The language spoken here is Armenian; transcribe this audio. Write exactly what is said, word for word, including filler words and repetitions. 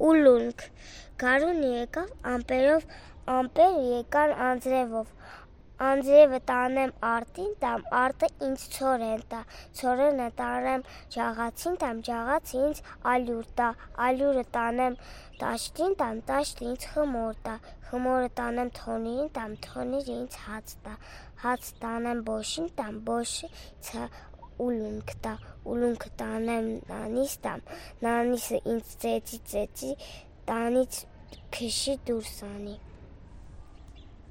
ուլունք, գարուն եկավ ամպերով, ամպեր եկան անձրևով, անձրևը տանեմ արտին տամ, արտը ինձ ցորեն տա, ցորենը տանեմ ջաղացին տամ, ջաղացը ինձ ալյուր տա, ալյուրը տանեմ տաշտին տամ, տաշտը ինձ խմոր տա, խմորը տանեմ թոնիրին տամ, թոնիրը ինձ հաց տա, հաց տանեմ բոշին տամ, բոշը ինձ ուլունք տա, ուլունքը տանեմ նանիս տամ, նանիսը ինձ ծեծի ծեծի, տանից քշի դուրս անի։